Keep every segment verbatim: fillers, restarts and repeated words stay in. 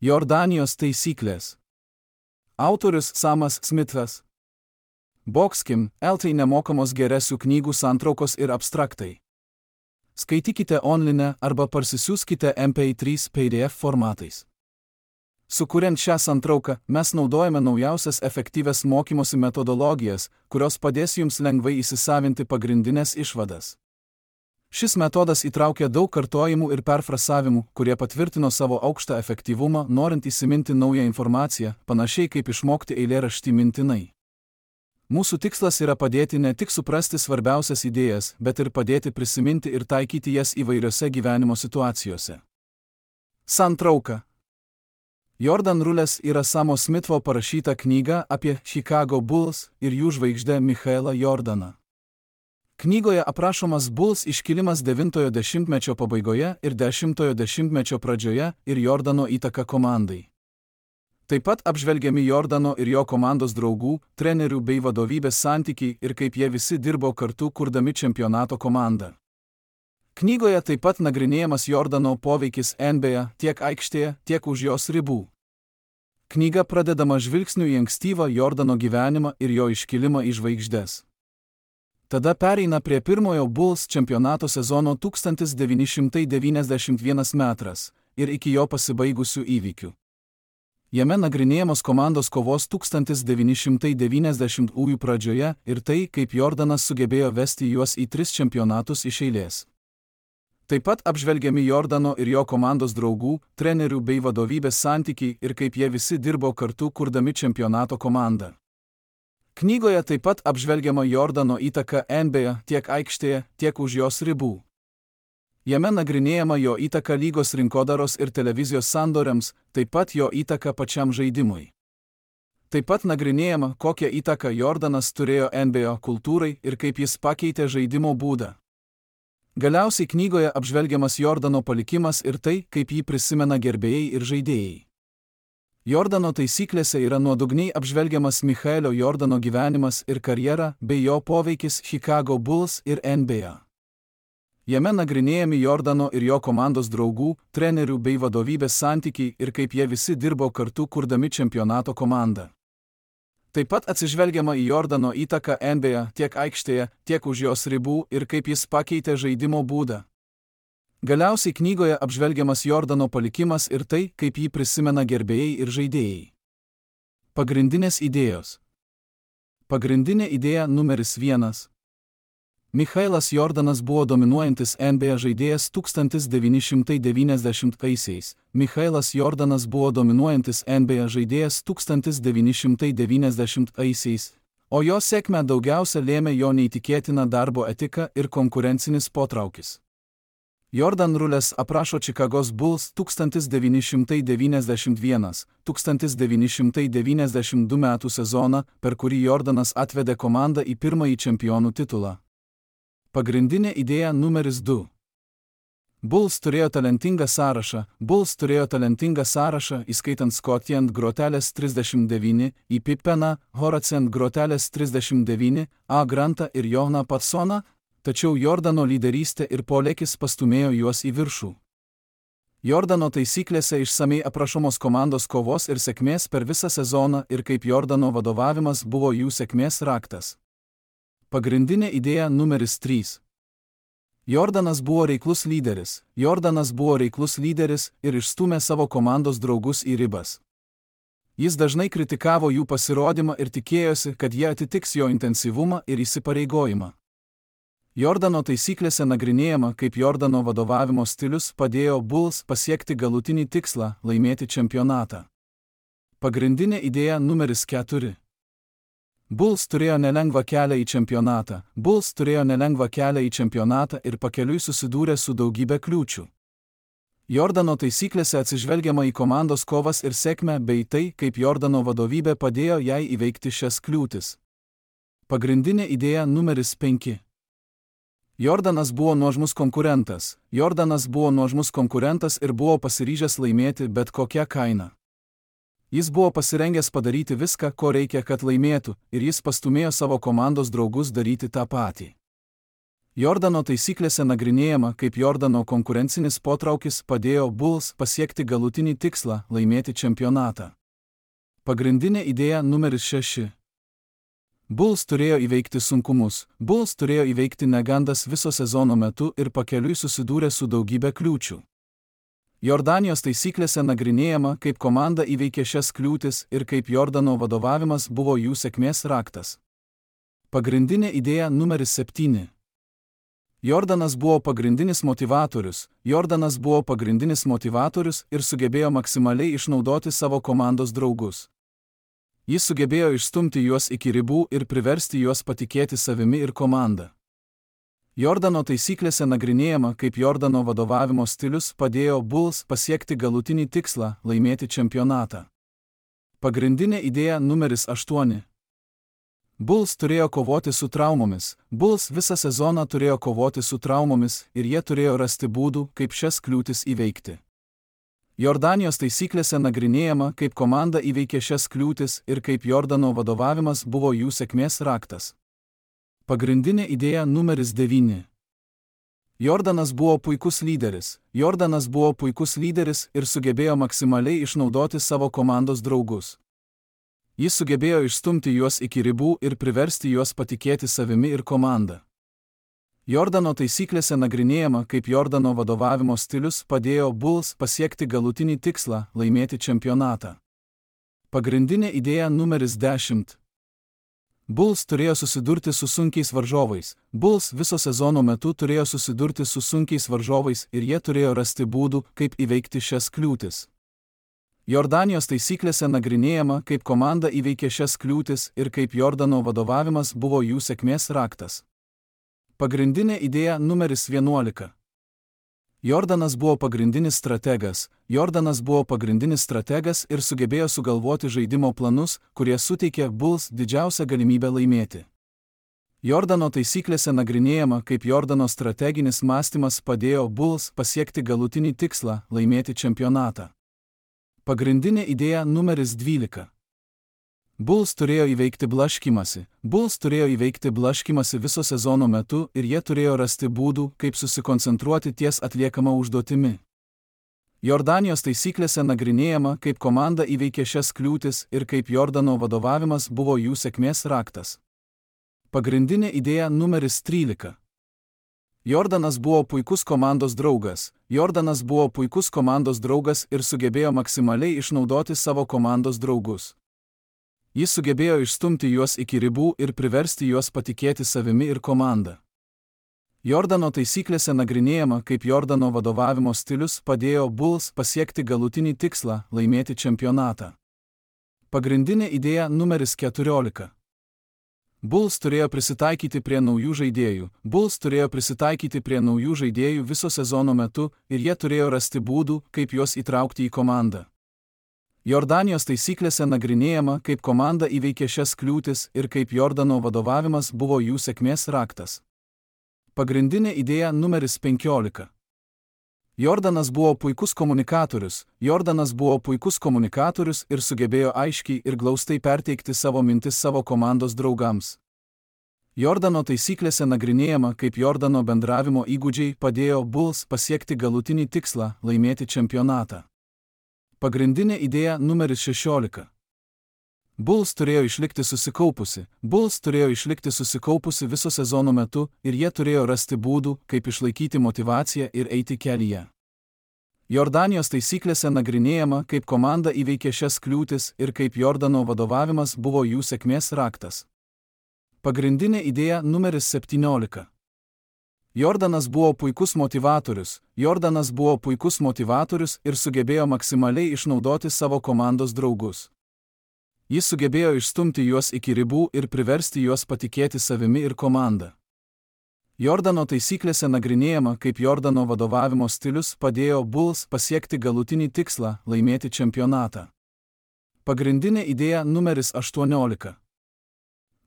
Jordanijos taisyklės. Autorius Samas Smithas. Boxkim, eltai nemokamos geresių knygų santraukos ir abstraktai. Skaitykite online arba parsisiųskite M P trys P D F formatais. Sukuriant šią santrauką, mes naudojame naujausias efektyvias mokymosi metodologijas, kurios padės jums lengvai įsisavinti pagrindinės išvadas. Šis metodas įtraukia daug kartojimų ir perfrasavimų, kurie patvirtino savo aukštą efektyvumą, norint įsiminti naują informaciją, panašiai kaip išmokti eilėraštį mintinai. Mūsų tikslas yra padėti ne tik suprasti svarbiausias idėjas, bet ir padėti prisiminti ir taikyti jas įvairiose gyvenimo situacijose. Santrauka. Jordan Rules yra Samo Smitho parašyta knyga apie Chicago Bulls ir jų žvaigždę Michaelą Jordaną. Knygoje aprašomas Bulls iškilimas devintojo dešimtmečio pabaigoje ir dešimtojo dešimtmečio pradžioje ir Jordano įtaka komandai. Taip pat apžvelgiami Jordano ir jo komandos draugų, trenerių bei vadovybės santykiai ir kaip jie visi dirbo kartu kurdami čempionato komandą. Knygoje taip pat nagrinėjamas Jordano poveikis N B A tiek aikštėje, tiek už jos ribų. Knyga pradedama žvilgsniu į ankstyvą Jordano gyvenimą ir jo iškilimą į žvaigždes. Tada pereina prie pirmojo Bulls čempionato sezono tūkstantis devyni šimtai devyniasdešimt vienas metras ir iki jo pasibaigusių įvykių. Jame nagrinėjamos komandos kovos tūkstantis devyni šimtai devyniasdešimtųjų pradžioje ir tai, kaip Jordanas sugebėjo vesti juos į tris čempionatus iš eilės. Taip pat apžvelgiami Jordano ir jo komandos draugų, trenerių bei vadovybės santykiai ir kaip jie visi dirbo kartu kurdami čempionato komandą. Knygoje taip pat apžvelgiama Jordano įtaka N B A tiek aikštėje, tiek už jos ribų. Jame nagrinėjama jo įtaka lygos rinkodaros ir televizijos sandoriams, taip pat jo įtaka pačiam žaidimui. Taip pat nagrinėjama, kokią įtaką Jordanas turėjo N B A kultūrai ir kaip jis pakeitė žaidimo būdą. Galiausiai knygoje apžvelgiamas Jordano palikimas ir tai, kaip jį prisimena gerbėjai ir žaidėjai. Jordano taisyklėse yra nuodugniai apžvelgiamas Michaelio Jordano gyvenimas ir karjera bei jo poveikis Chicago Bulls ir N B A. Jame nagrinėjami Jordano ir jo komandos draugų, trenerių bei vadovybės santykiai ir kaip jie visi dirbo kartu kurdami čempionato komandą. Taip pat atsižvelgiama į Jordano įtaką N B A tiek aikštėje, tiek už jos ribų ir kaip jis pakeitė žaidimo būdą. Galiausiai knygoje apžvelgiamas Jordano palikimas ir tai, kaip jį prisimena gerbėjai ir žaidėjai. Pagrindinės idėjos. Pagrindinė idėja numeris vienas. Michaelas Jordanas buvo dominuojantis N B A žaidėjas tūkstantis devyni šimtai devyniasdešimtaisiais. Michaelas Jordanas buvo dominuojantis N B A žaidėjas tūkstantis devyni šimtai devyniasdešimtaisiais, o jo sėkmę daugiausia lėmė jo neįtikėtina darbo etika ir konkurencinis potraukis. Jordan Rules aprašo Čikagos Bulls tūkstantis devyni šimtai devyniasdešimt vienas - tūkstantis devyni šimtai devyniasdešimt du metų sezoną, per kurį Jordanas atvedė komandą į pirmąjį čempionų titulą. Pagrindinė idėja numeris du. Bulls turėjo talentingą sąrašą, Bulls turėjo talentingą sąrašą, įskaitant Scottie ant grotelės trisdešimt devyni, į Pippeną, Horace ant grotelės trisdešimt devyni, A. Grantą ir Joną Patsoną, tačiau Jordano lyderystė ir polėkis pastumėjo juos į viršų. Jordano taisyklėse išsamei aprašomos komandos kovos ir sėkmės per visą sezoną ir kaip Jordano vadovavimas buvo jų sėkmės raktas. Pagrindinė idėja numeris trys. Jordanas buvo reiklus lyderis, Jordanas buvo reiklus lyderis ir išstūmė savo komandos draugus į ribas. Jis dažnai kritikavo jų pasirodymą ir tikėjosi, kad jie atitiks jo intensyvumą ir įsipareigojimą. Jordano taisyklėse nagrinėjama, kaip Jordano vadovavimo stilius padėjo Bulls pasiekti galutinį tikslą – laimėti čempionatą. Pagrindinė idėja numeris keturi. Bulls turėjo nelengvą kelią į čempionatą, Bulls turėjo nelengvą kelią į čempionatą ir pakeliui susidūrė su daugybė kliūčių. Jordano taisyklėse atsižvelgiama į komandos kovas ir sėkmę bei tai, kaip Jordano vadovybė padėjo jai įveikti šias kliūtis. Pagrindinė idėja numeris penki. Jordanas buvo nuožmus konkurentas, Jordanas buvo nuožmus konkurentas ir buvo pasiryžęs laimėti bet kokią kainą. Jis buvo pasirengęs padaryti viską, ko reikia, kad laimėtų, ir jis pastumėjo savo komandos draugus daryti tą patį. Jordano taisyklėse nagrinėjama, kaip Jordano konkurencinis potraukis padėjo Bulls pasiekti galutinį tikslą – laimėti čempionatą. Pagrindinė idėja numeris šeši. Bulls turėjo įveikti sunkumus, Bulls turėjo įveikti negandas viso sezono metu ir pakeliui susidūrė su daugybė kliūčių. Jordanijos taisyklėse nagrinėjama, kaip komanda įveikė šias kliūtis ir kaip Jordano vadovavimas buvo jų sėkmės raktas. Pagrindinė idėja numeris septyni. Jordanas buvo pagrindinis motivatorius, Jordanas buvo pagrindinis motivatorius ir sugebėjo maksimaliai išnaudoti savo komandos draugus. Jis sugebėjo išstumti juos iki ribų ir priversti juos patikėti savimi ir komanda. Jordano taisyklėse nagrinėjama, kaip Jordano vadovavimo stilius padėjo Bulls pasiekti galutinį tikslą – laimėti čempionatą. Pagrindinė idėja numeris aštuoni. Bulls turėjo kovoti su traumomis, Bulls visą sezoną turėjo kovoti su traumomis ir jie turėjo rasti būdų, kaip šias kliūtis įveikti. Jordanijos taisyklėse nagrinėjama, kaip komanda įveikė šias kliūtis ir kaip Jordano vadovavimas buvo jų sėkmės raktas. Pagrindinė idėja numeris devyni. Jordanas buvo puikus lyderis, Jordanas buvo puikus lyderis ir sugebėjo maksimaliai išnaudoti savo komandos draugus. Jis sugebėjo išstumti juos iki ribų ir priversti juos patikėti savimi ir komanda. Jordano taisyklėse nagrinėjama, kaip Jordano vadovavimo stilius padėjo Bulls pasiekti galutinį tikslą – laimėti čempionatą. Pagrindinė idėja numeris dešimt. Bulls turėjo susidurti su sunkiais varžovais, Bulls viso sezono metu turėjo susidurti su sunkiais varžovais ir jie turėjo rasti būdų, kaip įveikti šias kliūtis. Jordanijos taisyklėse nagrinėjama, kaip komanda įveikė šias kliūtis ir kaip Jordano vadovavimas buvo jų sėkmės raktas. Pagrindinė idėja numeris vienuolika. Jordanas buvo pagrindinis strategas, Jordanas buvo pagrindinis strategas ir sugebėjo sugalvoti žaidimo planus, kurie suteikė Bulls didžiausią galimybę laimėti. Jordano taisyklėse nagrinėjama, kaip Jordano strateginis mąstymas padėjo Bulls pasiekti galutinį tikslą – laimėti čempionatą. Pagrindinė idėja numeris dvylika. Bulls turėjo įveikti blaškymąsi, Bulls turėjo įveikti blaškymąsi viso sezono metu ir jie turėjo rasti būdų, kaip susikoncentruoti ties atliekama užduotimi. Jordanijos taisyklėse nagrinėjama, kaip komanda įveikė šias kliūtis ir kaip Jordano vadovavimas buvo jų sėkmės raktas. Pagrindinė idėja numeris trylika. Jordanas buvo puikus komandos draugas, Jordanas buvo puikus komandos draugas ir sugebėjo maksimaliai išnaudoti savo komandos draugus. Jis sugebėjo išstumti juos iki ribų ir priversti juos patikėti savimi ir komanda. Jordano taisyklėse nagrinėjama, kaip Jordano vadovavimo stilius padėjo Bulls pasiekti galutinį tikslą – laimėti čempionatą. Pagrindinė idėja numeris keturiolika. Bulls turėjo prisitaikyti prie naujų žaidėjų, Bulls turėjo prisitaikyti prie naujų žaidėjų viso sezono metu ir jie turėjo rasti būdų, kaip juos įtraukti į komandą. Jordanijos taisyklėse nagrinėjama, kaip komanda įveikė šias kliūtis ir kaip Jordano vadovavimas buvo jų sėkmės raktas. Pagrindinė idėja numeris penkiolika. Jordanas buvo puikus komunikatorius, Jordanas buvo puikus komunikatorius ir sugebėjo aiškiai ir glaustai perteikti savo mintis savo komandos draugams. Jordano taisyklėse nagrinėjama, kaip Jordano bendravimo įgūdžiai padėjo Bulls pasiekti galutinį tikslą – laimėti čempionatą. Pagrindinė idėja numeris šešiolika. Bulls turėjo išlikti susikaupusi, Bulls turėjo išlikti susikaupusi viso sezono metu ir jie turėjo rasti būdų, kaip išlaikyti motyvaciją ir eiti kelyje. Jordanijos taisyklėse nagrinėjama, kaip komanda įveikė šias kliūtis ir kaip Jordano vadovavimas buvo jų sėkmės raktas. Pagrindinė idėja numeris septyniolika. Jordanas buvo puikus motivatorius, Jordanas buvo puikus motivatorius ir sugebėjo maksimaliai išnaudoti savo komandos draugus. Jis sugebėjo išstumti juos iki ribų ir priversti juos patikėti savimi ir komanda. Jordano taisyklėse nagrinėjama, kaip Jordano vadovavimo stilius padėjo Bulls pasiekti galutinį tikslą – laimėti čempionatą. Pagrindinė idėja numeris aštuoniolika.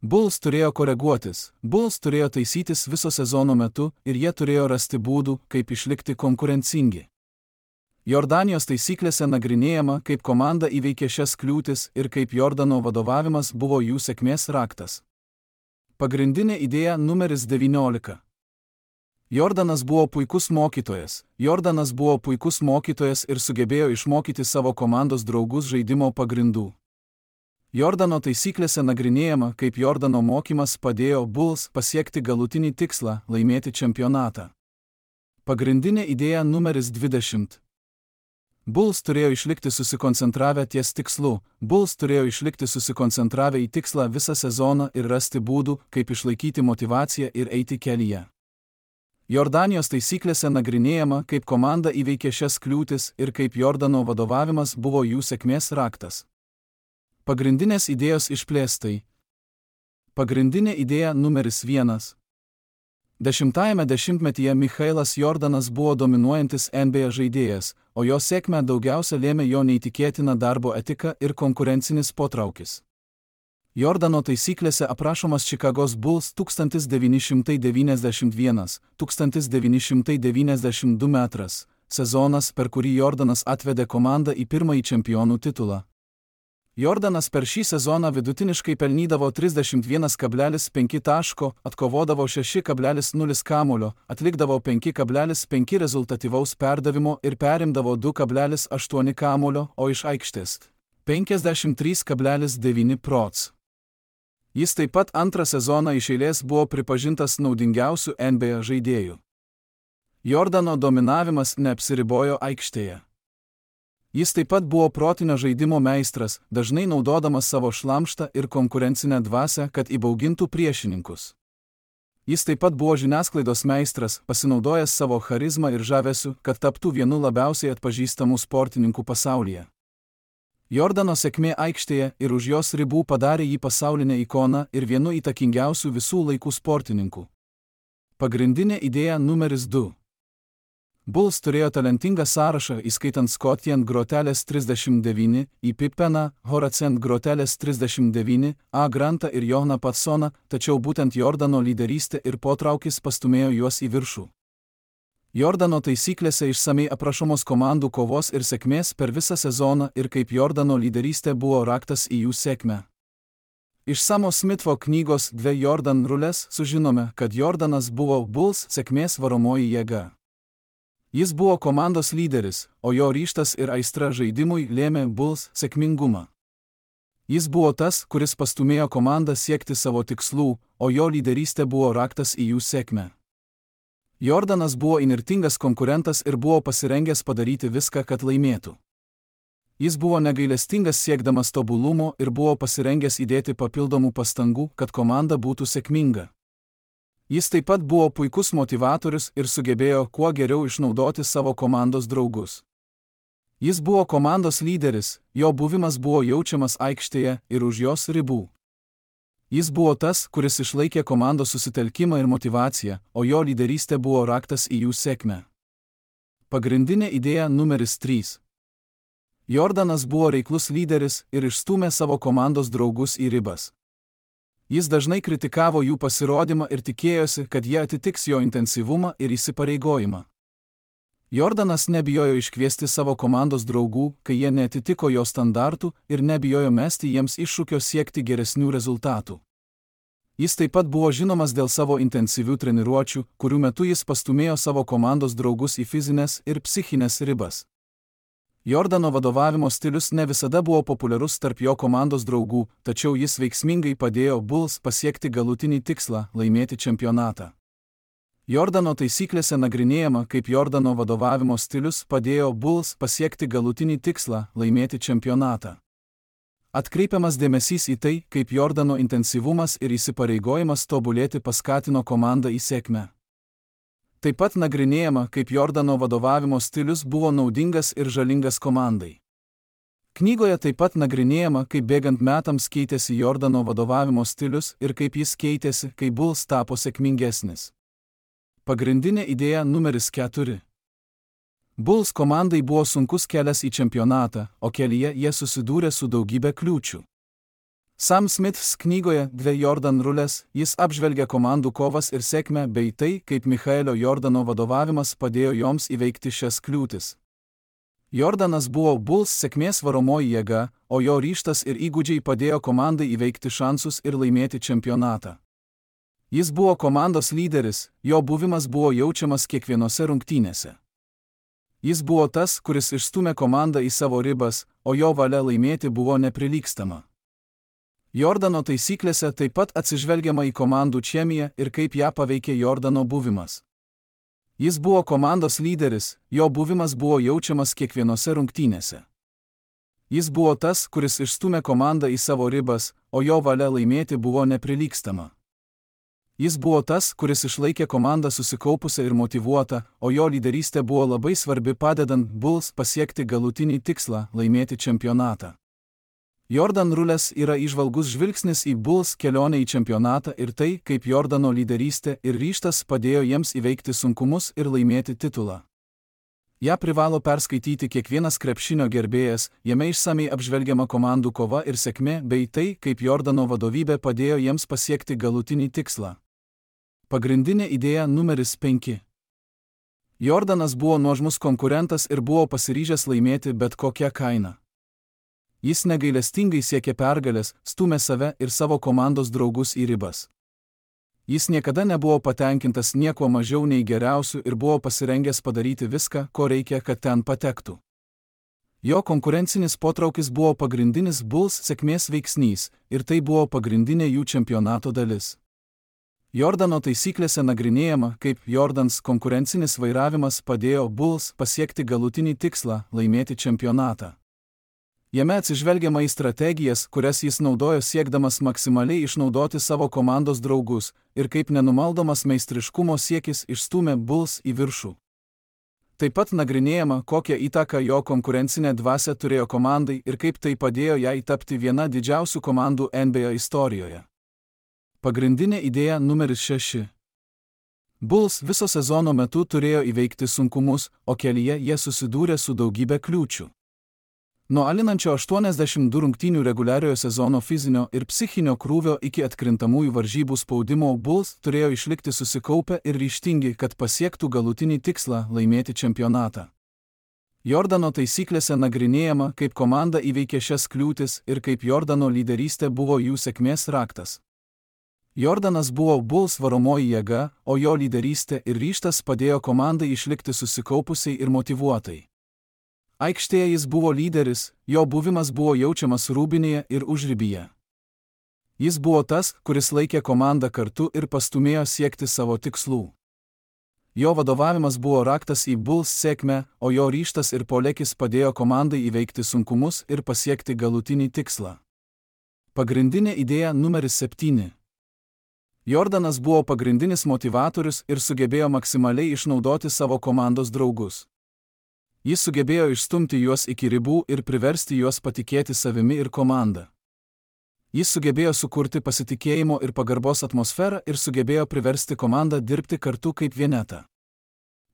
Bulls turėjo koreguotis, Bulls turėjo taisytis viso sezono metu ir jie turėjo rasti būdų, kaip išlikti konkurencingi. Jordanijos taisyklėse nagrinėjama, kaip komanda įveikė šias kliūtis ir kaip Jordano vadovavimas buvo jų sėkmės raktas. Pagrindinė idėja numeris devyniolika. Jordanas buvo puikus mokytojas. Jordanas buvo puikus mokytojas ir sugebėjo išmokyti savo komandos draugus žaidimo pagrindų. Jordano taisyklėse nagrinėjama, kaip Jordano mokymas padėjo Bulls pasiekti galutinį tikslą – laimėti čempionatą. Pagrindinė idėja numeris dvidešimt. Bulls turėjo išlikti susikoncentravę ties tikslu. Bulls turėjo išlikti susikoncentravę į tikslą visą sezoną ir rasti būdų, kaip išlaikyti motyvaciją ir eiti kelyje. Jordanijos taisyklėse nagrinėjama, kaip komanda įveikė šias kliūtis ir kaip Jordano vadovavimas buvo jų sėkmės raktas. Pagrindinės idėjos išplėstai. Pagrindinė idėja numeris vienas. Dešimtajame dešimtmetyje Michailas Jordanas buvo dominuojantis N B A žaidėjas, o jo sėkmę daugiausia lėmė jo neįtikėtina darbo etika ir konkurencinis potraukis. Jordano taisyklėse aprašomas Čikagos Bulls tūkstantis devyni šimtai devyniasdešimt vienas - tūkstantis devyni šimtai devyniasdešimt du metras sezonas, per kurį Jordanas atvedė komandą į pirmąjį čempionų titulą. Jordanas per šį sezoną vidutiniškai pelnydavo trisdešimt vienas kablelis penki taško, atkovodavo šeši kablelis nulis kamuolio, atlikdavo penki kablelis penki rezultatyvaus perdavimo ir perimdavo du kablelis aštuoni kamuolio, o iš aikštės penkiasdešimt trys kablelis devyni procentai. Jis taip pat antrą sezoną iš eilės buvo pripažintas naudingiausiu N B A žaidėju. Jordano dominavimas neapsiribojo aikštėje. Jis taip pat buvo protinio žaidimo meistras, dažnai naudodamas savo šlamštą ir konkurencinę dvasią, kad įbaugintų priešininkus. Jis taip pat buvo žiniasklaidos meistras, pasinaudojęs savo charizmą ir žavesiu, kad taptų vienu labiausiai atpažįstamų sportininkų pasaulyje. Jordano sėkmė aikštėje ir už jos ribų padarė jį pasaulinę ikoną ir vienu įtakingiausių visų laikų sportininkų. Pagrindinė idėja numeris du. Bulls turėjo talentingą sąrašą, įskaitant Scottien Grotelės trisdešimt devyni, į Pippeną, Horacent Grotelės trisdešimt devyni, A. Grantą ir Joną Patsoną, tačiau būtent Jordano lyderystė ir potraukis pastumėjo juos į viršų. Jordano taisyklėse išsamei aprašomos komandų kovos ir sėkmės per visą sezoną ir kaip Jordano lyderystė buvo raktas į jų sėkmę. Iš Samo Smitho knygos Dve Jordan rulės sužinome, kad Jordanas buvo Bulls sėkmės varomoji jėga. Jis buvo komandos lyderis, o jo ryžtas ir aistra žaidimui lėmė Bulls sėkmingumą. Jis buvo tas, kuris pastumėjo komandą siekti savo tikslų, o jo lyderystė buvo raktas į jų sėkmę. Jordanas buvo įnirtingas konkurentas ir buvo pasirengęs padaryti viską, kad laimėtų. Jis buvo negailestingas siekdamas tobulumo ir buvo pasirengęs įdėti papildomų pastangų, kad komanda būtų sėkminga. Jis taip pat buvo puikus motivatorius ir sugebėjo kuo geriau išnaudoti savo komandos draugus. Jis buvo komandos lyderis, jo buvimas buvo jaučiamas aikštėje ir už jos ribų. Jis buvo tas, kuris išlaikė komandos susitelkimą ir motyvaciją, o jo lyderystė buvo raktas į jų sėkmę. Pagrindinė idėja numeris trys. Jordanas buvo reiklus lyderis ir išstūmė savo komandos draugus į ribas. Jis dažnai kritikavo jų pasirodymą ir tikėjosi, kad jie atitiks jo intensyvumą ir įsipareigojimą. Jordanas nebijojo iškviesti savo komandos draugų, kai jie neatitiko jo standartų ir nebijojo mesti jiems iššūkio siekti geresnių rezultatų. Jis taip pat buvo žinomas dėl savo intensyvių treniruočių, kurių metu jis pastumėjo savo komandos draugus į fizinės ir psichinės ribas. Jordano vadovavimo stilius ne visada buvo populiarus tarp jo komandos draugų, tačiau jis veiksmingai padėjo Bulls pasiekti galutinį tikslą – laimėti čempionatą. Jordano taisyklėse nagrinėjama, kaip Jordano vadovavimo stilius padėjo Bulls pasiekti galutinį tikslą – laimėti čempionatą. Atkreipiamas dėmesys į tai, kaip Jordano intensyvumas ir įsipareigojimas tobulėti paskatino komandą į sėkmę. Taip pat nagrinėjama, kaip Jordano vadovavimo stilius buvo naudingas ir žalingas komandai. Knygoje taip pat nagrinėjama, kaip bėgant metams keitėsi Jordano vadovavimo stilius ir kaip jis keitėsi, kai Bulls tapo sėkmingesnis. Pagrindinė idėja numeris keturi. Bulls komandai buvo sunkus kelias į čempionatą, o kelyje jie susidūrė su daugybė kliūčių. Sam Smiths knygoje Dve Jordan rulės jis apžvelgia komandų kovas ir sėkmę bei tai, kaip Michaelio Jordano vadovavimas padėjo joms įveikti šias kliūtis. Jordanas buvo Bulls sėkmės varomoji jėga, o jo ryžtas ir įgūdžiai padėjo komandai įveikti šansus ir laimėti čempionatą. Jis buvo komandos lyderis, jo buvimas buvo jaučiamas kiekvienose rungtynėse. Jis buvo tas, kuris išstūmė komandą į savo ribas, o jo valia laimėti buvo neprilygstama. Jordano taisyklėse taip pat atsižvelgiama į komandų chemiją ir kaip ją paveikė Jordano buvimas. Jis buvo komandos lyderis, jo buvimas buvo jaučiamas kiekvienose rungtynėse. Jis buvo tas, kuris išstūmė komandą į savo ribas, o jo valia laimėti buvo neprilygstama. Jis buvo tas, kuris išlaikė komandą susikaupusią ir motyvuotą, o jo lyderystė buvo labai svarbi padedant Bulls pasiekti galutinį tikslą – laimėti čempionatą. Jordan Rules yra įžvalgus žvilgsnis į Bulls kelionę į čempionatą ir tai, kaip Jordano lyderystė ir ryžtas padėjo jiems įveikti sunkumus ir laimėti titulą. Ja privalo perskaityti kiekvienas krepšinio gerbėjas, jame išsamiai apžvelgiama komandų kova ir sėkmė bei tai, kaip Jordano vadovybė padėjo jiems pasiekti galutinį tikslą. Pagrindinė idėja numeris penki. Jordanas buvo nuožmus konkurentas ir buvo pasiryžęs laimėti bet kokią kainą. Jis negailestingai siekė pergalės, stūmė save ir savo komandos draugus į ribas. Jis niekada nebuvo patenkintas nieko mažiau nei geriausių ir buvo pasirengęs padaryti viską, ko reikia, kad ten patektų. Jo konkurencinis potraukis buvo pagrindinis Bulls sėkmės veiksnys ir tai buvo pagrindinė jų čempionato dalis. Jordano taisyklėse nagrinėjama, kaip Jordans konkurencinis vairavimas padėjo Bulls pasiekti galutinį tikslą – laimėti čempionatą. Jame atsižvelgiama į strategijas, kurias jis naudojo siekdamas maksimaliai išnaudoti savo komandos draugus ir kaip nenumaldomas meistriškumo siekis išstūmė Bulls į viršų. Taip pat nagrinėjama, kokią įtaką jo konkurencinė dvasia turėjo komandai ir kaip tai padėjo jai tapti viena didžiausių komandų N B A istorijoje. Pagrindinė idėja numeris šeši. Bulls viso sezono metu turėjo įveikti sunkumus, o kelyje jie susidūrė su daugybė kliūčių. Nuo alinančio aštuoniasdešimt du rungtynių reguliariojo sezono fizinio ir psichinio krūvio iki atkrintamųjų varžybų spaudimo Bulls turėjo išlikti susikaupę ir ryžtingi, kad pasiektų galutinį tikslą – laimėti čempionatą. Jordano taisyklėse nagrinėjama, kaip komanda įveikė šias kliūtis ir kaip Jordano lyderystė buvo jų sėkmės raktas. Jordanas buvo Bulls varomoji jėga, o jo lyderystė ir ryžtas padėjo komandai išlikti susikaupusiai ir motyvuotai. Aikštėje jis buvo lyderis, jo buvimas buvo jaučiamas rūbinėje ir užribyje. Jis buvo tas, kuris laikė komandą kartu ir pastūmėjo siekti savo tikslų. Jo vadovavimas buvo raktas į Bulls sėkmę, o jo ryžtas ir polėkis padėjo komandai įveikti sunkumus ir pasiekti galutinį tikslą. Pagrindinė idėja numeris septyni. Jordanas buvo pagrindinis motyvatorius ir sugebėjo maksimaliai išnaudoti savo komandos draugus. Jis sugebėjo išstumti juos iki ribų ir priversti juos patikėti savimi ir komanda. Jis sugebėjo sukurti pasitikėjimo ir pagarbos atmosferą ir sugebėjo priversti komandą dirbti kartu kaip vienetą.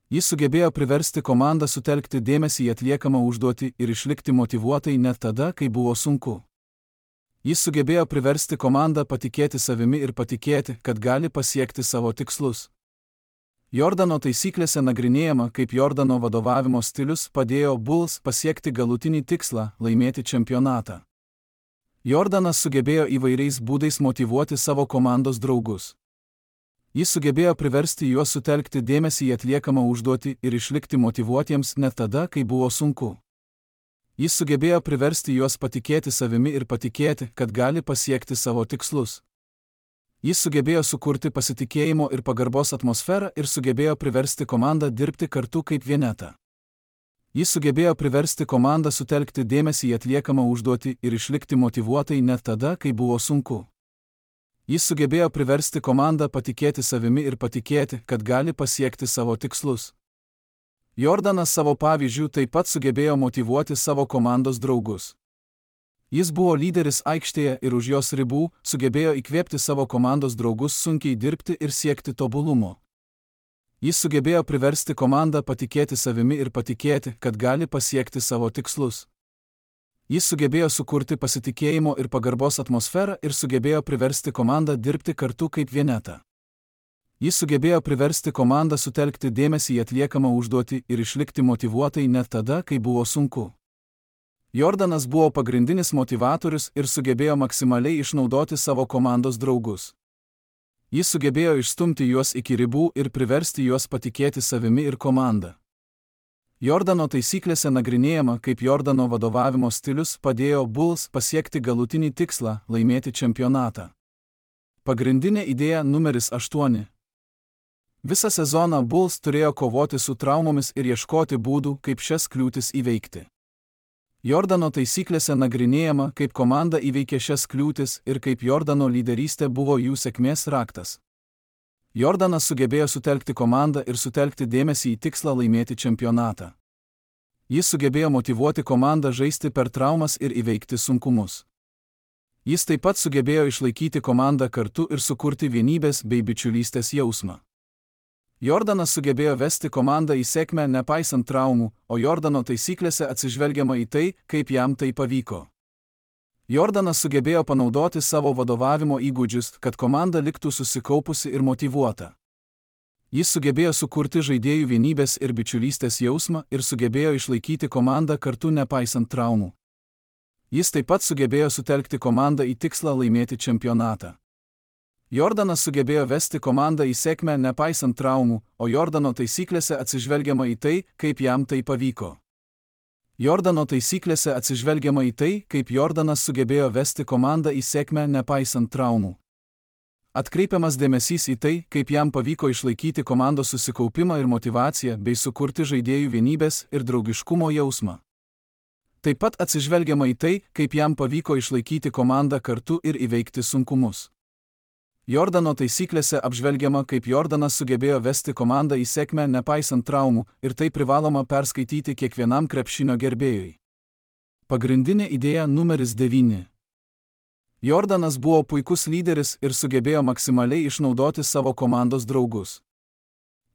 Jis sugebėjo priversti komandą sutelkti dėmesį į atliekamą užduotį ir išlikti motyvuotai net tada, kai buvo sunku. Jis sugebėjo priversti komandą patikėti savimi ir patikėti, kad gali pasiekti savo tikslus. Jordano taisyklėse nagrinėjama, kaip Jordano vadovavimo stilius padėjo Bulls pasiekti galutinį tikslą – laimėti čempionatą. Jordanas sugebėjo įvairiais būdais motyvuoti savo komandos draugus. Jis sugebėjo priversti juos sutelkti dėmesį į atliekamą užduotį ir išlikti motyvuotiems net tada, kai buvo sunku. Jis sugebėjo priversti juos patikėti savimi ir patikėti, kad gali pasiekti savo tikslus. Jis sugebėjo sukurti pasitikėjimo ir pagarbos atmosferą ir sugebėjo priversti komandą dirbti kartu kaip vienetą. Jis sugebėjo priversti komandą sutelkti dėmesį į atliekamą užduotį ir išlikti motyvuotai net tada, kai buvo sunku. Jis sugebėjo priversti komandą patikėti savimi ir patikėti, kad gali pasiekti savo tikslus. Jordanas savo pavyzdžių taip pat sugebėjo motyvuoti savo komandos draugus. Jis buvo lyderis aikštėje ir už jos ribų, sugebėjo įkvėpti savo komandos draugus sunkiai dirbti ir siekti tobulumo. Jis sugebėjo priversti komandą patikėti savimi ir patikėti, kad gali pasiekti savo tikslus. Jis sugebėjo sukurti pasitikėjimo ir pagarbos atmosferą ir sugebėjo priversti komandą dirbti kartu kaip vienetą. Jis sugebėjo priversti komandą sutelkti dėmesį į atliekamą užduotį ir išlikti motyvuotai net tada, kai buvo sunku. Jordanas buvo pagrindinis motyvatorius ir sugebėjo maksimaliai išnaudoti savo komandos draugus. Jis sugebėjo išstumti juos iki ribų ir priversti juos patikėti savimi ir komanda. Jordano taisyklėse nagrinėjama, kaip Jordano vadovavimo stilius padėjo Bulls pasiekti galutinį tikslą – laimėti čempionatą. Pagrindinė idėja numeris aštuoni. Visą sezoną Bulls turėjo kovoti su traumomis ir ieškoti būdų, kaip šias kliūtis įveikti. Jordano taisyklėse nagrinėjama, kaip komanda įveikė šias kliūtis ir kaip Jordano lyderystė buvo jų sėkmės raktas. Jordanas sugebėjo sutelkti komandą ir sutelkti dėmesį į tikslą laimėti čempionatą. Jis sugebėjo motyvuoti komandą žaisti per traumas ir įveikti sunkumus. Jis taip pat sugebėjo išlaikyti komandą kartu ir sukurti vienybės bei bičiulystės jausmą. Jordanas sugebėjo vesti komandą į sėkmę nepaisant traumų, o Jordano taisyklėse atsižvelgiama į tai, kaip jam tai pavyko. Jordanas sugebėjo panaudoti savo vadovavimo įgūdžius, kad komanda liktų susikaupusi ir motyvuota. Jis sugebėjo sukurti žaidėjų vienybės ir bičiulystės jausmą ir sugebėjo išlaikyti komandą kartu nepaisant traumų. Jis taip pat sugebėjo sutelkti komandą į tikslą laimėti čempionatą. Jordanas sugebėjo vesti komandą į sėkmę nepaisant traumų, o Jordano taisyklėse atsižvelgiama į tai, kaip jam tai pavyko. Jordano taisyklėse atsižvelgiama į tai, kaip Jordanas sugebėjo vesti komandą į sėkmę nepaisant traumų. Atkreipiamas dėmesys į tai, kaip jam pavyko išlaikyti komandos susikaupimą ir motyvaciją bei sukurti žaidėjų vienybės ir draugiškumo jausmą. Taip pat atsižvelgiama į tai, kaip jam pavyko išlaikyti komandą kartu ir įveikti sunkumus. Jordano taisyklėse apžvelgiama, kaip Jordanas sugebėjo vesti komandą į sėkmę nepaisant traumų ir tai privaloma perskaityti kiekvienam krepšinio gerbėjui. Pagrindinė idėja numeris devyni. Jordanas buvo puikus lyderis ir sugebėjo maksimaliai išnaudoti savo komandos draugus.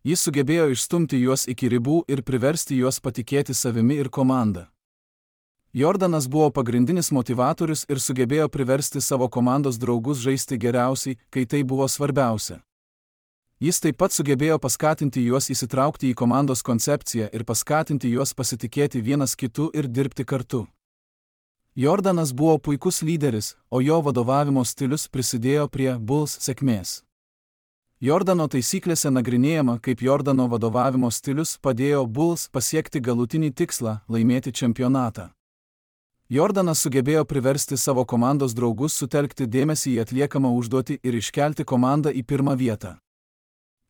Jis sugebėjo išstumti juos iki ribų ir priversti juos patikėti savimi ir komanda. Jordanas buvo pagrindinis motivatorius ir sugebėjo priversti savo komandos draugus žaisti geriausiai, kai tai buvo svarbiausia. Jis taip pat sugebėjo paskatinti juos įsitraukti į komandos koncepciją ir paskatinti juos pasitikėti vienas kitu ir dirbti kartu. Jordanas buvo puikus lyderis, o jo vadovavimo stilius prisidėjo prie Bulls sėkmės. Jordano taisyklėse nagrinėjama, kaip Jordano vadovavimo stilius padėjo Bulls pasiekti galutinį tikslą – laimėti čempionatą. Jordanas sugebėjo priversti savo komandos draugus sutelkti dėmesį į atliekamą užduotį ir iškelti komandą į pirmą vietą.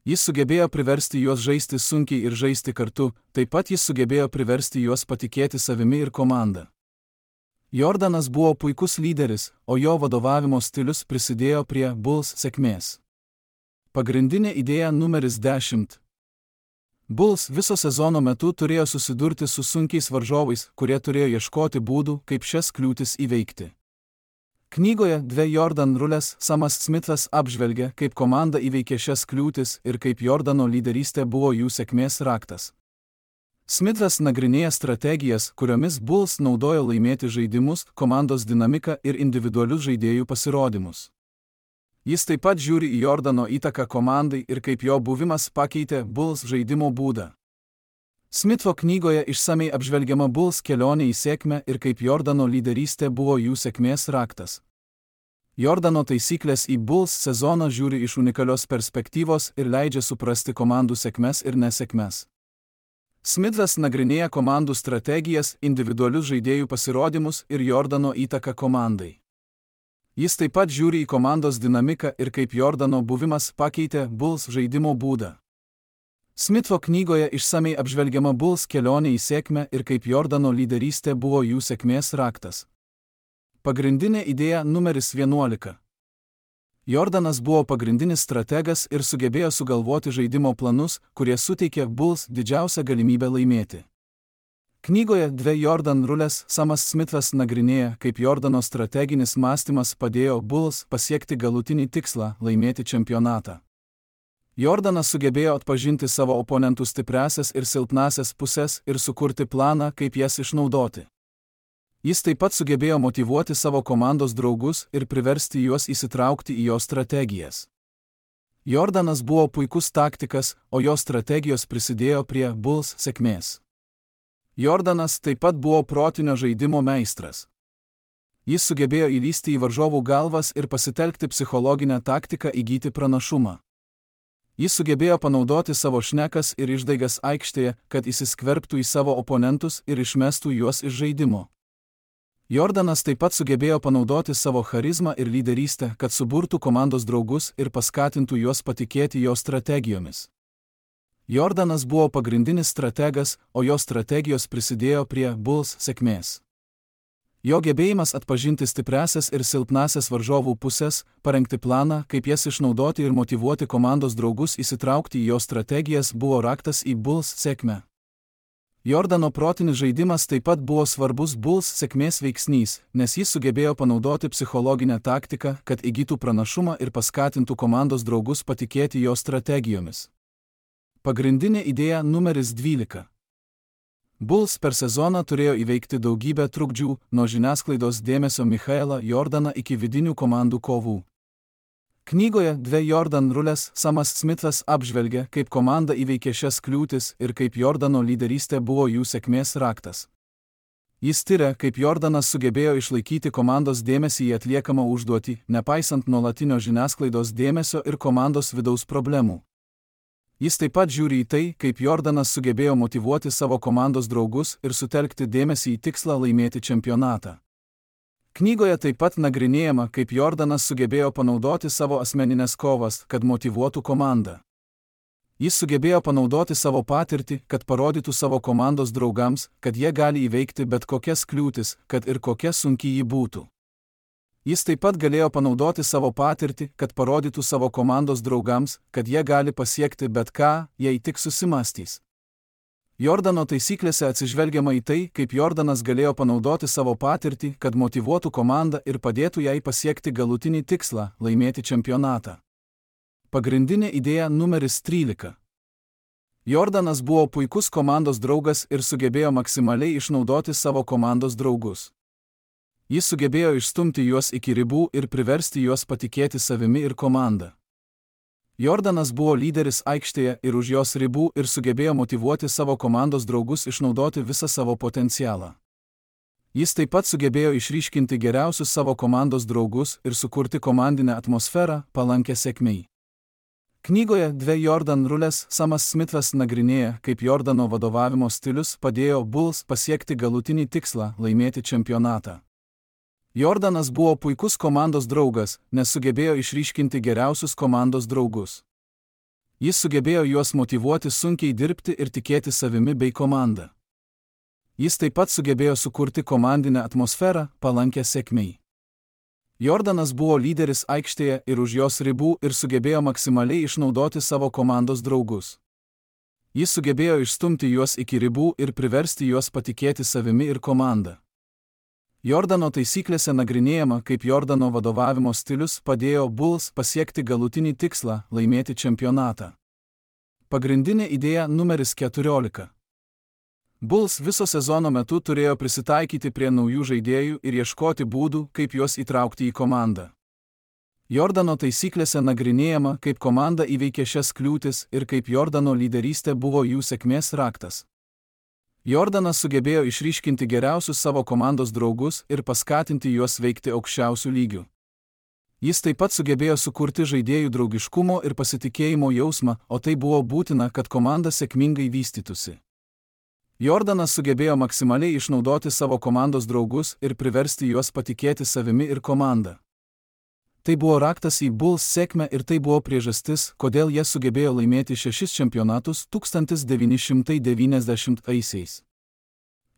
Jis sugebėjo priversti juos žaisti sunkiai ir žaisti kartu, taip pat jis sugebėjo priversti juos patikėti savimi ir komanda. Jordanas buvo puikus lyderis, o jo vadovavimo stilius prisidėjo prie Bulls sėkmės. Pagrindinė idėja numeris dešimt. Bulls viso sezono metu turėjo susidurti su sunkiais varžovais, kurie turėjo ieškoti būdų, kaip šias kliūtis įveikti. Knygoje Dve Jordan rulės Samas Smithas apžvelgia, kaip komanda įveikė šias kliūtis ir kaip Jordano lyderystė buvo jų sėkmės raktas. Smithas nagrinėja strategijas, kuriomis Bulls naudojo laimėti žaidimus, komandos dinamiką ir individualius žaidėjų pasirodymus. Jis taip pat žiūri į Jordano įtaką komandai ir kaip jo buvimas pakeitė Bulls žaidimo būdą. Smitho knygoje išsamei apžvelgiama Bulls kelionė į sėkmę ir kaip Jordano lyderystė buvo jų sėkmės raktas. Jordano taisyklės į Bulls sezoną žiūri iš unikalios perspektyvos ir leidžia suprasti komandų sėkmes ir nesėkmes. Smithas nagrinėja komandų strategijas, individualius žaidėjų pasirodymus ir Jordano įtaką komandai. Jis taip pat žiūri į komandos dinamiką ir kaip Jordano buvimas pakeitė Bulls žaidimo būdą. Smitho knygoje išsamei apžvelgiama Bulls kelionė į sėkmę ir kaip Jordano lyderystė buvo jų sėkmės raktas. Pagrindinė idėja numeris vienuolika. Jordanas buvo pagrindinis strategas ir sugebėjo sugalvoti žaidimo planus, kurie suteikė Bulls didžiausią galimybę laimėti. Knygoje Dve Jordan rulės Samas Smithas nagrinėja, kaip Jordano strateginis mąstymas padėjo Bulls pasiekti galutinį tikslą – laimėti čempionatą. Jordanas sugebėjo atpažinti savo oponentų stipriąsias ir silpnąsias pusės ir sukurti planą, kaip jas išnaudoti. Jis taip pat sugebėjo motyvuoti savo komandos draugus ir priversti juos įsitraukti į jo strategijas. Jordanas buvo puikus taktikas, o jo strategijos prisidėjo prie Bulls sėkmės. Jordanas taip pat buvo protinio žaidimo meistras. Jis sugebėjo įlysti į varžovų galvas ir pasitelkti psichologinę taktiką įgyti pranašumą. Jis sugebėjo panaudoti savo šnekas ir išdaigas aikštėje, kad įsiskverbtų į savo oponentus ir išmestų juos iš žaidimo. Jordanas taip pat sugebėjo panaudoti savo charizmą ir lyderystę, kad suburtų komandos draugus ir paskatintų juos patikėti jo strategijomis. Jordanas buvo pagrindinis strategas, o jo strategijos prisidėjo prie Bulls sėkmės. Jo gebėjimas atpažinti stipriasias ir silpnasias varžovų pusės, parengti planą, kaip jas išnaudoti ir motyvuoti komandos draugus įsitraukti į jo strategijas buvo raktas į Bulls sėkmę. Jordano protinis žaidimas taip pat buvo svarbus Bulls sėkmės veiksnys, nes jis sugebėjo panaudoti psichologinę taktiką, kad įgytų pranašumą ir paskatintų komandos draugus patikėti jo strategijomis. Pagrindinė idėja numeris dvylika. Bulls per sezoną turėjo įveikti daugybę trukdžių, nuo žiniasklaidos dėmesio Michaelą Jordaną iki vidinių komandų kovų. Knygoje Dve Jordan rulės Samas Smithas apžvelgia, kaip komanda įveikė šias kliūtis ir kaip Jordano lyderystė buvo jų sėkmės raktas. Jis tiria, kaip Jordanas sugebėjo išlaikyti komandos dėmesį į atliekamą užduotį, nepaisant nuolatinio žiniasklaidos dėmesio ir komandos vidaus problemų. Jis taip pat žiūri į tai, kaip Jordanas sugebėjo motyvuoti savo komandos draugus ir sutelkti dėmesį į tikslą laimėti čempionatą. Knygoje taip pat nagrinėjama, kaip Jordanas sugebėjo panaudoti savo asmeninės kovas, kad motyvuotų komandą. Jis sugebėjo panaudoti savo patirtį, kad parodytų savo komandos draugams, kad jie gali įveikti bet kokias kliūtis, kad ir kokia sunki ji būtų. Jis taip pat galėjo panaudoti savo patirtį, kad parodytų savo komandos draugams, kad jie gali pasiekti bet ką, jei tik susimąstys. Jordano taisyklėse atsižvelgiama į tai, kaip Jordanas galėjo panaudoti savo patirtį, kad motyvuotų komandą ir padėtų jai pasiekti galutinį tikslą – laimėti čempionatą. Pagrindinė idėja numeris trylika. Jordanas buvo puikus komandos draugas ir sugebėjo maksimaliai išnaudoti savo komandos draugus. Jis sugebėjo išstumti juos iki ribų ir priversti juos patikėti savimi ir komanda. Jordanas buvo lyderis aikštėje ir už jos ribų ir sugebėjo motyvuoti savo komandos draugus išnaudoti visą savo potencialą. Jis taip pat sugebėjo išryškinti geriausius savo komandos draugus ir sukurti komandinę atmosferą, palankę sėkmei. Knygoje Dve Jordan rulės Samas Smithas nagrinėja, kaip Jordano vadovavimo stilius padėjo Bulls pasiekti galutinį tikslą – laimėti čempionatą. Jordanas buvo puikus komandos draugas, nes sugebėjo išryškinti geriausius komandos draugus. Jis sugebėjo juos motyvuoti sunkiai dirbti ir tikėti savimi bei komanda. Jis taip pat sugebėjo sukurti komandinę atmosferą, palankę sėkmei. Jordanas buvo lyderis aikštėje ir už jos ribų ir sugebėjo maksimaliai išnaudoti savo komandos draugus. Jis sugebėjo išstumti juos iki ribų ir priversti juos patikėti savimi ir komanda. Jordano taisyklėse nagrinėjama, kaip Jordano vadovavimo stilius padėjo Bulls pasiekti galutinį tikslą – laimėti čempionatą. Pagrindinė idėja numeris keturiolika. Bulls viso sezono metu turėjo prisitaikyti prie naujų žaidėjų ir ieškoti būdų, kaip juos įtraukti į komandą. Jordano taisyklėse nagrinėjama, kaip komanda įveikė šias kliūtis ir kaip Jordano lyderystė buvo jų sėkmės raktas. Jordanas sugebėjo išryškinti geriausius savo komandos draugus ir paskatinti juos veikti aukščiausių lygių. Jis taip pat sugebėjo sukurti žaidėjų draugiškumo ir pasitikėjimo jausmą, o tai buvo būtina, kad komanda sėkmingai vystytųsi. Jordanas sugebėjo maksimaliai išnaudoti savo komandos draugus ir priversti juos patikėti savimi ir komanda. Tai buvo raktas į Bulls sėkmę ir tai buvo priežastis, kodėl jie sugebėjo laimėti šešis čempionatus tūkstantis devyni šimtai devyniasdešimtaisiais.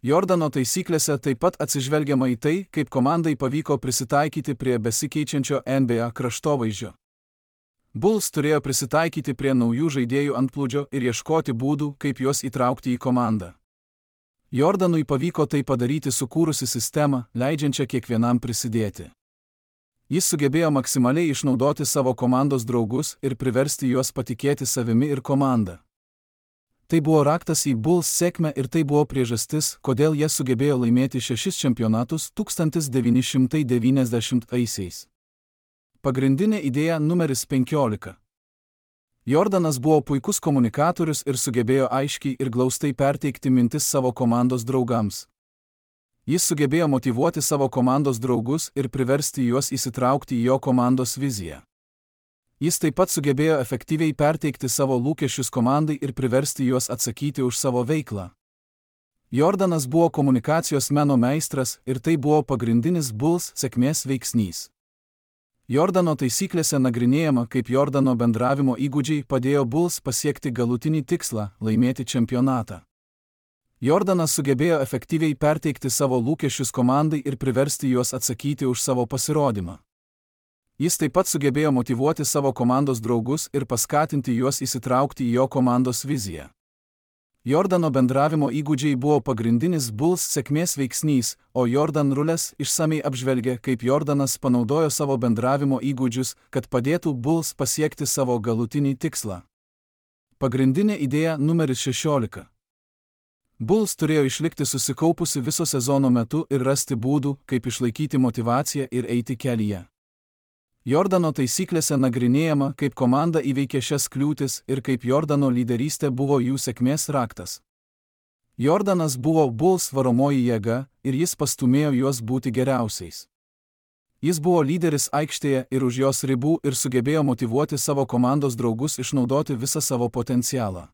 Jordano taisyklėse taip pat atsižvelgiama į tai, kaip komandai pavyko prisitaikyti prie besikeičiančio N B A kraštovaizdžio. Bulls turėjo prisitaikyti prie naujų žaidėjų antplūdžio ir ieškoti būdų, kaip juos įtraukti į komandą. Jordanui pavyko tai padaryti sukūrusi sistemą, leidžiančią kiekvienam prisidėti. Jis sugebėjo maksimaliai išnaudoti savo komandos draugus ir priversti juos patikėti savimi ir komanda. Tai buvo raktas į Bulls sėkmę ir tai buvo priežastis, kodėl jie sugebėjo laimėti šešis čempionatus tūkstantis devyni šimtai devyniasdešimtaisiais. Pagrindinė idėja numeris penkiolika. Jordanas buvo puikus komunikatorius ir sugebėjo aiškiai ir glaustai perteikti mintis savo komandos draugams. Jis sugebėjo motyvuoti savo komandos draugus ir priversti juos įsitraukti į jo komandos viziją. Jis taip pat sugebėjo efektyviai perteikti savo lūkesčius komandai ir priversti juos atsakyti už savo veiklą. Jordanas buvo komunikacijos meno meistras ir tai buvo pagrindinis Bulls sėkmės veiksnys. Jordano taisyklėse nagrinėjama, kaip Jordano bendravimo įgūdžiai padėjo Bulls pasiekti galutinį tikslą – laimėti čempionatą. Jordanas sugebėjo efektyviai perteikti savo lūkesčius komandai ir priversti juos atsakyti už savo pasirodymą. Jis taip pat sugebėjo motyvuoti savo komandos draugus ir paskatinti juos įsitraukti į jo komandos viziją. Jordano bendravimo įgūdžiai buvo pagrindinis Bulls sėkmės veiksnys, o Jordan Rules išsamei apžvelgia, kaip Jordanas panaudojo savo bendravimo įgūdžius, kad padėtų Bulls pasiekti savo galutinį tikslą. Pagrindinė idėja numeris šešiolika. Bulls turėjo išlikti susikaupusi viso sezono metu ir rasti būdų, kaip išlaikyti motyvaciją ir eiti kelyje. Jordano taisyklėse nagrinėjama, kaip komanda įveikė šias kliūtis ir kaip Jordano lyderystė buvo jų sėkmės raktas. Jordanas buvo Bulls varomoji jėga ir jis pastūmėjo juos būti geriausiais. Jis buvo lyderis aikštėje ir už jos ribų ir sugebėjo motyvuoti savo komandos draugus išnaudoti visą savo potencialą.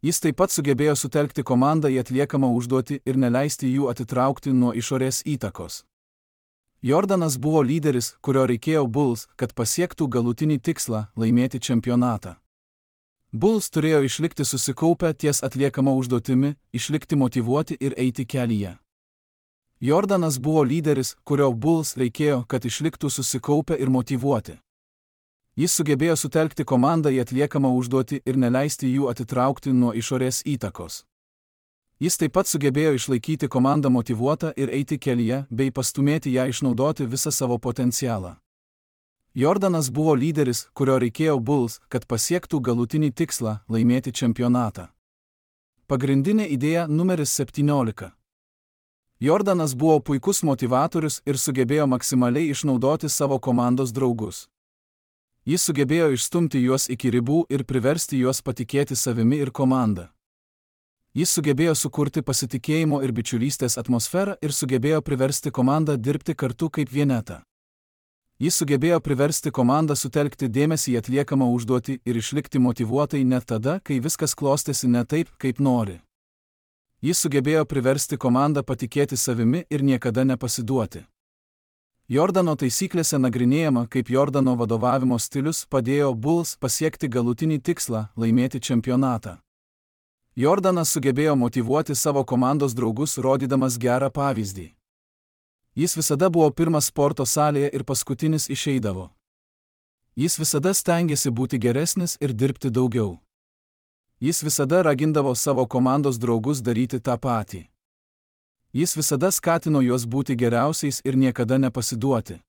Jis taip pat sugebėjo sutelkti komandą į atliekamą užduotį ir neleisti jų atitraukti nuo išorės įtakos. Jordanas buvo lyderis, kurio reikėjo Bulls, kad pasiektų galutinį tikslą – laimėti čempionatą. Bulls turėjo išlikti susikaupę ties atliekama užduotimi, išlikti motyvuoti ir eiti kelyje. Jordanas buvo lyderis, kurio Bulls reikėjo, kad išliktų susikaupę ir motyvuoti. Jis sugebėjo sutelkti komandą į atliekamą užduotį ir neleisti jų atitraukti nuo išorės įtakos. Jis taip pat sugebėjo išlaikyti komandą motyvuotą ir eiti kelyje, bei pastumėti ją išnaudoti visą savo potencialą. Jordanas buvo lyderis, kurio reikėjo Bulls, kad pasiektų galutinį tikslą – laimėti čempionatą. Pagrindinė idėja numeris septyniolika. Jordanas buvo puikus motyvatorius ir sugebėjo maksimaliai išnaudoti savo komandos draugus. Jis sugebėjo išstumti juos iki ribų ir priversti juos patikėti savimi ir komanda. Jis sugebėjo sukurti pasitikėjimo ir bičiulystės atmosferą ir sugebėjo priversti komandą dirbti kartu kaip vienetą. Jis sugebėjo priversti komandą sutelkti dėmesį į atliekamą užduotį ir išlikti motyvuotai net tada, kai viskas klostėsi ne taip, kaip nori. Jis sugebėjo priversti komandą patikėti savimi ir niekada nepasiduoti. Jordano taisyklėse nagrinėjama, kaip Jordano vadovavimo stilius padėjo Bulls pasiekti galutinį tikslą – laimėti čempionatą. Jordanas sugebėjo motyvuoti savo komandos draugus, rodydamas gerą pavyzdį. Jis visada buvo pirmas sporto salėje ir paskutinis išeidavo. Jis visada stengėsi būti geresnis ir dirbti daugiau. Jis visada ragindavo savo komandos draugus daryti tą patį. Jis visada skatino juos būti geriausiais ir niekada nepasiduoti.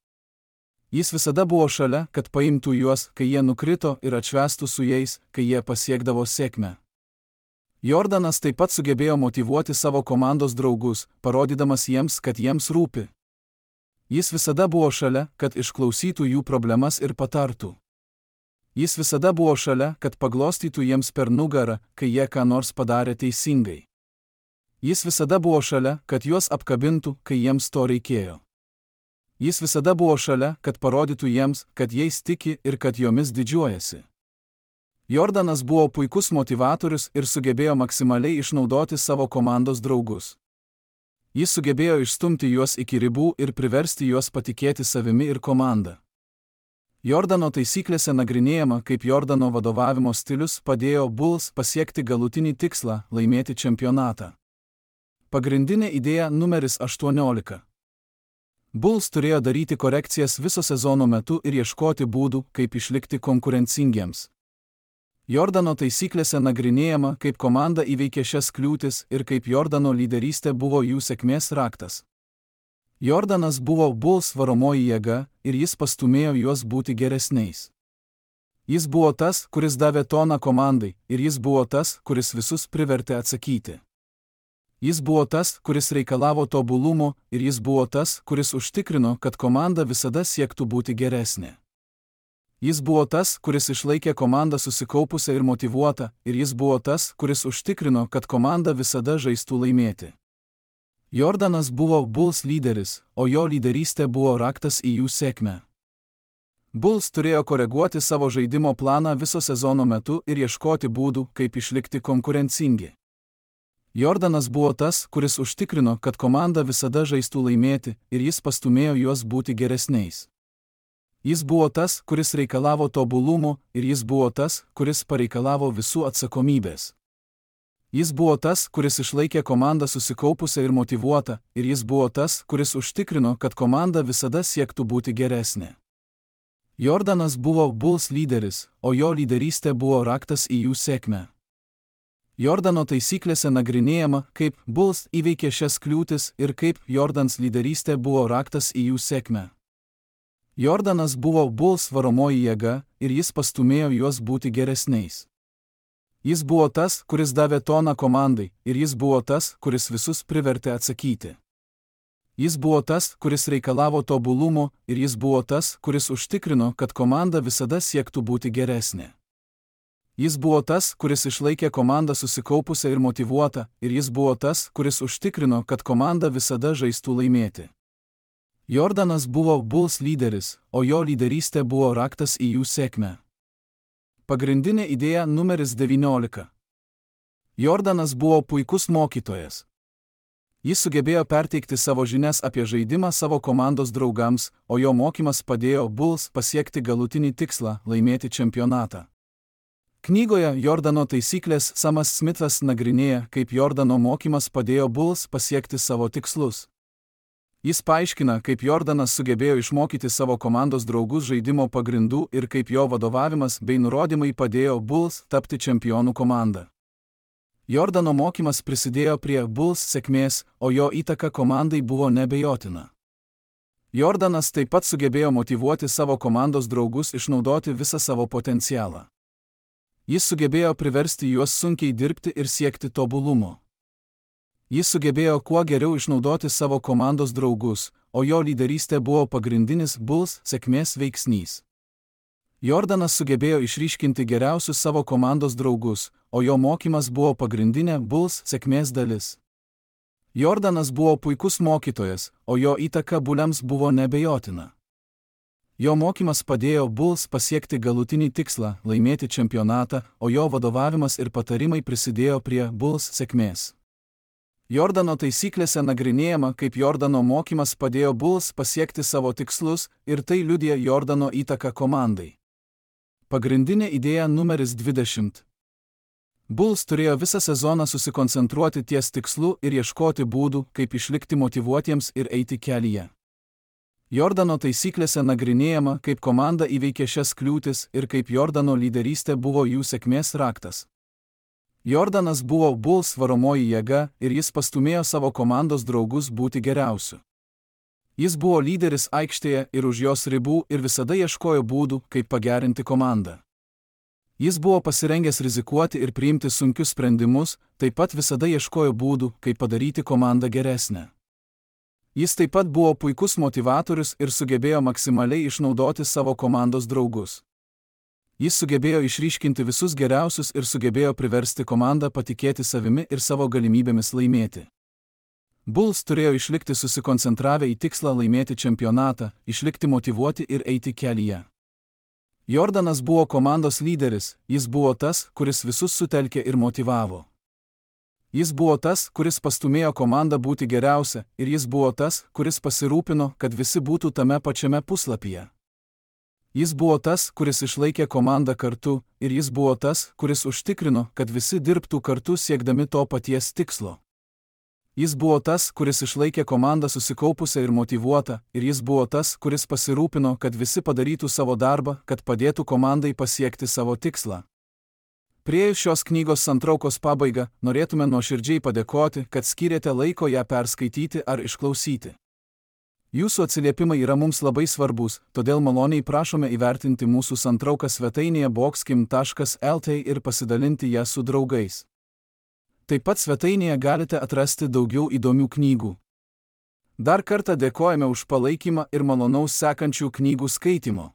Jis visada buvo šalia, kad paimtų juos, kai jie nukrito, ir atšvęstų su jais, kai jie pasiekdavo sėkmę. Jordanas taip pat sugebėjo motyvuoti savo komandos draugus, parodydamas jiems, kad jiems rūpi. Jis visada buvo šalia, kad išklausytų jų problemas ir patartų. Jis visada buvo šalia, kad paglostytų jiems per nugarą, kai jie ką nors padarė teisingai. Jis visada buvo šalia, kad juos apkabintų, kai jiems to reikėjo. Jis visada buvo šalia, kad parodytų jiems, kad jais tiki ir kad jomis didžiuojasi. Jordanas buvo puikus motyvatorius ir sugebėjo maksimaliai išnaudoti savo komandos draugus. Jis sugebėjo išstumti juos iki ribų ir priversti juos patikėti savimi ir komanda. Jordano taisyklėse nagrinėjama, kaip Jordano vadovavimo stilius padėjo Bulls pasiekti galutinį tikslą – laimėti čempionatą. Pagrindinė idėja numeris aštuoniolika. Bulls turėjo daryti korekcijas viso sezono metu ir ieškoti būdų, kaip išlikti konkurencingiems. Jordano taisyklėse nagrinėjama, kaip komanda įveikė šias kliūtis ir kaip Jordano lyderystė buvo jų sėkmės raktas. Jordanas buvo Bulls varomoji jėga ir jis pastūmėjo juos būti geresniais. Jis buvo tas, kuris davė toną komandai, ir jis buvo tas, kuris visus privertė atsakyti. Jis buvo tas, kuris reikalavo tobulumo, ir jis buvo tas, kuris užtikrino, kad komanda visada siektų būti geresnė. Jis buvo tas, kuris išlaikė komandą susikaupusią ir motyvuotą, ir jis buvo tas, kuris užtikrino, kad komanda visada žaistų laimėti. Jordanas buvo Bulls lyderis, o jo lyderystė buvo raktas į jų sėkmę. Bulls turėjo koreguoti savo žaidimo planą viso sezono metu ir ieškoti būdų, kaip išlikti konkurencingi. Jordanas buvo tas, kuris užtikrino, kad komanda visada žaistų laimėti, ir jis pastumėjo juos būti geresniais. Jis buvo tas, kuris reikalavo tobulumo, ir jis buvo tas, kuris pareikalavo visų atsakomybės. Jis buvo tas, kuris išlaikė komandą susikaupusią ir motyvuotą, ir jis buvo tas, kuris užtikrino, kad komanda visada siektų būti geresnė. Jordanas buvo Bulls lyderis, o jo lyderystė buvo raktas į jų sėkmę. Jordano taisyklėse nagrinėjama, kaip Bulls įveikė šias kliūtis ir kaip Jordans lyderystė buvo raktas į jų sėkmę. Jordanas buvo Bulls varomoji jėga ir jis pastumėjo juos būti geresniais. Jis buvo tas, kuris davė toną komandai, ir jis buvo tas, kuris visus privertė atsakyti. Jis buvo tas, kuris reikalavo tobulumo, ir jis buvo tas, kuris užtikrino, kad komanda visada siektų būti geresnė. Jis buvo tas, kuris išlaikė komandą susikaupusią ir motyvuotą, ir jis buvo tas, kuris užtikrino, kad komanda visada žaistų laimėti. Jordanas buvo Bulls lyderis, o jo lyderystė buvo raktas į jų sėkmę. Pagrindinė idėja numeris devyniolika. Jordanas buvo puikus mokytojas. Jis sugebėjo perteikti savo žinias apie žaidimą savo komandos draugams, o jo mokymas padėjo Bulls pasiekti galutinį tikslą – laimėti čempionatą. Knygoje Jordano taisyklės Samas Smithas nagrinėja, kaip Jordano mokymas padėjo Bulls pasiekti savo tikslus. Jis paaiškina, kaip Jordanas sugebėjo išmokyti savo komandos draugus žaidimo pagrindų ir kaip jo vadovavimas bei nurodymai padėjo Bulls tapti čempionų komanda. Jordano mokymas prisidėjo prie Bulls sėkmės, o jo įtaka komandai buvo neabejotina. Jordanas taip pat sugebėjo motyvuoti savo komandos draugus išnaudoti visą savo potencialą. Jis sugebėjo priversti juos sunkiai dirbti ir siekti tobulumo. Jis sugebėjo kuo geriau išnaudoti savo komandos draugus, o jo lyderystė buvo pagrindinis Bulls sėkmės veiksnys. Jordanas sugebėjo išryškinti geriausius savo komandos draugus, o jo mokymas buvo pagrindinė Bulls sėkmės dalis. Jordanas buvo puikus mokytojas, o jo įtaka Bullams buvo neabejotina. Jo mokymas padėjo Bulls pasiekti galutinį tikslą – laimėti čempionatą, o jo vadovavimas ir patarimai prisidėjo prie Bulls sėkmės. Jordano taisyklėse nagrinėjama, kaip Jordano mokymas padėjo Bulls pasiekti savo tikslus, ir tai liudija Jordano įtaką komandai. Pagrindinė idėja numeris dvidešimt. Bulls turėjo visą sezoną susikoncentruoti ties tikslu ir ieškoti būdų, kaip išlikti motyvuotiems ir eiti kelyje. Jordano taisyklėse nagrinėjama, kaip komanda įveikė šias kliūtis ir kaip Jordano lyderystė buvo jų sėkmės raktas. Jordanas buvo Bulls varomoji jėga ir jis pastumėjo savo komandos draugus būti geriausiu. Jis buvo lyderis aikštėje ir už jos ribų ir visada ieškojo būdų, kaip pagerinti komandą. Jis buvo pasirengęs rizikuoti ir priimti sunkius sprendimus, taip pat visada ieškojo būdų, kaip padaryti komandą geresnę. Jis taip pat buvo puikus motivatorius ir sugebėjo maksimaliai išnaudoti savo komandos draugus. Jis sugebėjo išryškinti visus geriausius ir sugebėjo priversti komandą patikėti savimi ir savo galimybėmis laimėti. Bulls turėjo išlikti susikoncentravę į tikslą laimėti čempionatą, išlikti motyvuoti ir eiti kelyje. Jordanas buvo komandos lyderis, jis buvo tas, kuris visus sutelkė ir motyvavo. Jis buvo tas, kuris pastumėjo komandą būti geriausia, ir jis buvo tas, kuris pasirūpino, kad visi būtų tame pačiame puslapyje. Jis buvo tas, kuris išlaikė komandą kartu, ir jis buvo tas, kuris užtikrino, kad visi dirbtų kartu siekdami to paties tikslo. Jis buvo tas, kuris išlaikė komandą susikaupusią ir motyvuotą, ir jis buvo tas, kuris pasirūpino, kad visi padarytų savo darbą, kad padėtų komandai pasiekti savo tikslą. Priėjus šios knygos santraukos pabaigą, norėtume nuoširdžiai padėkoti, kad skyrėte laiko ją perskaityti ar išklausyti. Jūsų atsiliepimai yra mums labai svarbus, todėl maloniai prašome įvertinti mūsų santrauką svetainėje boxkim taškas lt ir pasidalinti ją su draugais. Taip pat svetainėje galite atrasti daugiau įdomių knygų. Dar kartą dėkojame už palaikymą ir malonaus sekančių knygų skaitimo.